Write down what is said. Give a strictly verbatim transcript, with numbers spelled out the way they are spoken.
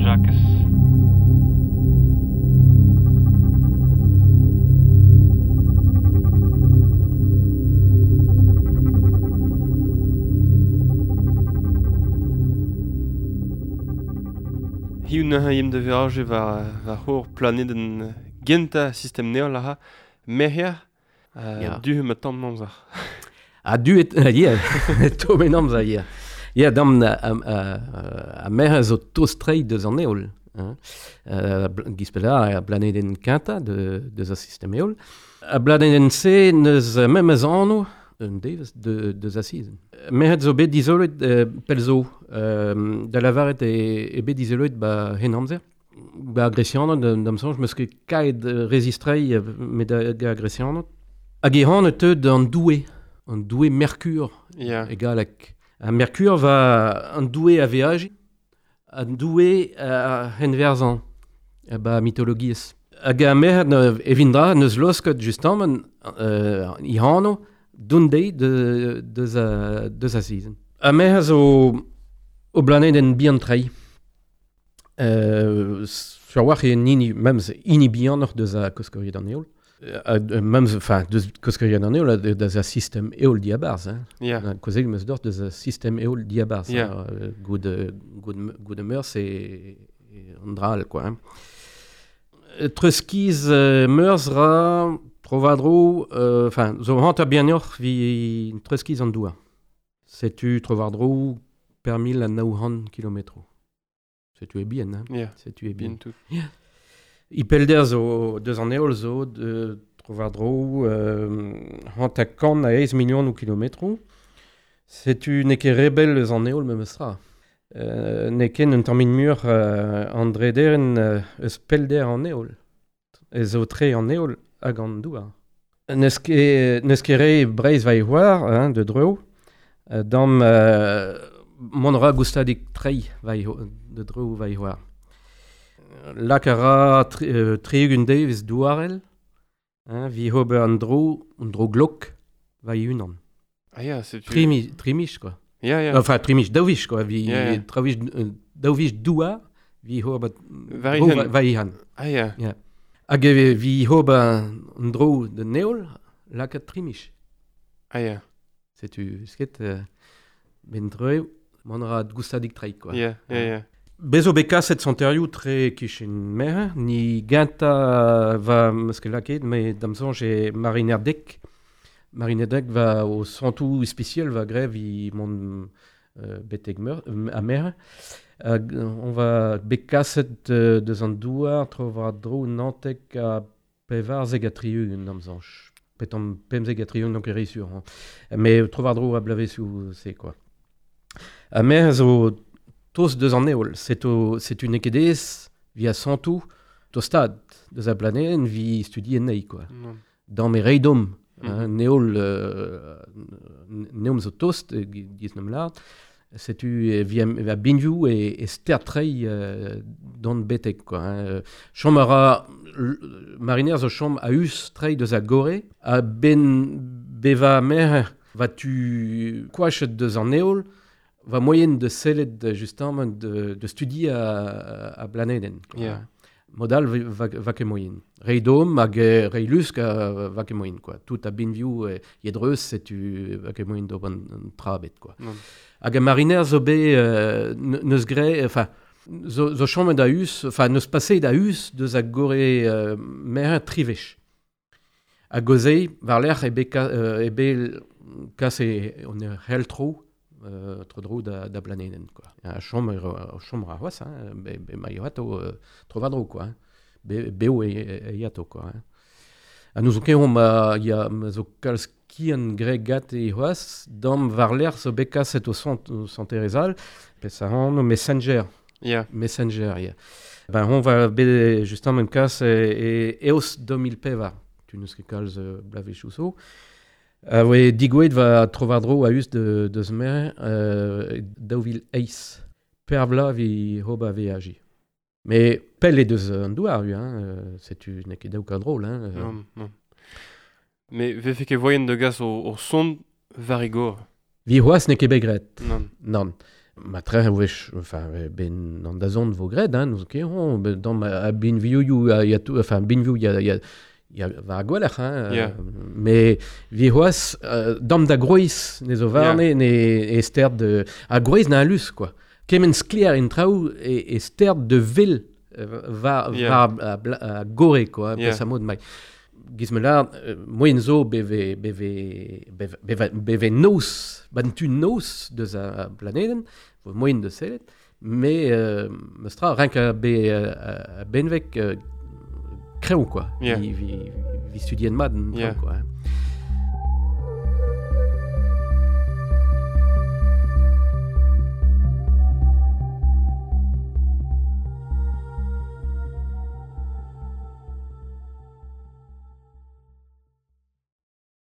Jakez. Hiu neuze yem da veraje war, war hor planeden genta sistem neol aha, merc'her, uh, Ya. du ma tamm amzer. Ha du et, yeah, to men amzer, yeah. Yeah, dam a, a, a merc'her zo tost-trei deus an eol. Hein. Uh, gispela a planeden quinta de, deus a sistem eol. A planeden se neus memes anno, un devez de, deus a season. Merc'hed zo bet dizolet euh, pel zo, euh, da lavaret e, e bet dizolet ba hen amzer. Ba gresianot, da'm soñj, meus ket kaet rezistrei met da ga gresianot. Hag e han teu d'an doue, an doue Mercure, Yeah. e galleg. A Mercure va an doue a veaji, an doue a henverzan, a ba mitologiezh. Hag a merc'hed evindra neus losket justement euh, i hano, d'un deiz de, deus a, deus a season. A merc'hed zo o planeden bihan trei. Euh, sur war e hini, memes hini bihanoc'h deus a koskoriet an eol. Euh, memes, enfin, deus koskoriet an eol, deus a sistem eol diabarz. Hein. Yeah. Kozeg meus dort deus a sistem eol diabarz. Yeah. Hein. Goud, goud, goud meurs e, e an dral, quoi. Hein. Treuskiz euh, meurs ra trovadro, enfin, euh, zo hanter bihanoc'h vi treuskiz an doua. Setu trovadro per mil a naouhan kilometro. Setu e bien, hein. Yeah. Setu e bien. Bien tout. Yeah. I pelder zo deus an eol zo de trovadro euh, hanter kant a eizh million ou kilometro. Setu n'eo ket rebel eus an eol memes tra. Euh, n'eo ket un tamm mur euh, an drederen euh, eus pelder an eol. Ez zo tre an eol hag an douar. N'eus ket, n'eus ket re Breizh va e c'hoar, hein, de dreo, euh, dam euh, mont ra goustadik trei va e, de dreo va e c'hoar. Lak a ra tri, euh, tri-ugent devez douarel, hein, vi ober an dro, an dro glok va e unan. Ah ya, setu... Trimi, trimich, quoi. Ya, ya. Enfin, trimich, daou-vich, quoi. Vi, Yeah, yeah. travich, euh, daou-vich douar, vi ober Var dro ihan. va, va ihan. Ah ya. Yeah. Hag e vi ober an dro de neol, lakaat trimich. Ah ya. Setu sket, euh, ben dreu, mont ra goustadik trei, quoi. Yeah, yeah, yeah. Bezo bet kaset santerioù tre kichen merc'h, ni genta va meus ket lakaet, met da'm soñj e Mariner dek. Mariner dek va o santoù spesial va grev i mont euh, betek meur, euh, a merc'h. Hag on va bet kaset euh, deus an douar, tro war dro nantek a pevarzek a tri-ugent da'm soñj. Petan pemzek a tri-ugent, donc e re sur. Hein. Mais tro war dro a blavezioù c'est quoi. A merc'h zo tost deus an eol, seto, setu n'eo ket aes via santoù tostad deus a planeden vi studi ennei, quoi. Non. Dam e reidom, Mm. hein, neol, euh, neom zo tost, eh, giz n'am lart, setu e via, via binvioù e, e ster trei euh, d'an betek, quoi. Hein. Chom a ra, mariner zo chom a us trei deus a gore, a ben beva mer va tu koachet deus an eol, va moyen de sellet justement de, de studi a, a planeden. Quoi. Yeah. Modal va, va ket moyen. Reidom hag rei lusk a va ket moyen, quoi. Tout a binvioù e yedreus setu va ket moyen d'ober an trabet, quoi. Non. Hag a mariner zo bet euh, neus gre, enfin, zo, zo chomet a us, enfin, neus paset a us deus a gore euh, mer trivech. A gozei, war lerc'h e bet, ka, euh, e bet kas e on e hel tro, euh, tro dro da, da planeden, quoi. A chom, a chom ra c'hoazh, hein, be, be ma yato euh, tro war dro, quoi. Hein. Be, beo e, e yato, quoi. Hein. A nous zo ket omp a, ya, ma zo kalz kian gre gat e c'hoazh, dam war lerc'h zo bet kaset o sant, o sant-Erezal, pes a anv Messenger. Yeah. Messenger, yeah. Ben, on va bet justement même kas e, e eos deux mil pevar. Tu neus ket kalz euh, blavezhioù zo. A voe digouet va trovardro a us de, deus mer euh, daou vil eizh. Per vla vi hoba veaji. Mais pell e deus an douar, hein, euh, setu n'eo ket daou ka drôle. Hein, euh. Non, non. Mais vefe ket voyen de gas o, o son varigor. Vi c'hoazh n'eo ket bet graet. Non. Non. Ma tre wech, enfin, ben an da zon vo gred, hein, nous ket hon, ben dam a bin vioù, a, ya tout, enfin, bin vioù, ya, ya, ya war gweler, hein, Yeah. euh, mais vi c'hoaz, euh, dam da groiz, ne zo varne, yeah. ne e sterd de, a groiz na alus, quoi. Kement sklier en traoù e, e sterd de vil euh, va, Yeah. war a, bla- a gore, quoi, Yeah. yeah. mod mai. Giz me lar, euh, moyen zo beve, beve, beve, beve, beve noz, ban tu noz deus a, a planeden, vo moyen de sellet, mais euh, meustra, renk a be a, a benvek euh, kreoù, quoi. Yeah. Vi, vi, vi studien mat, an traoù, Yeah. quoi. Hein.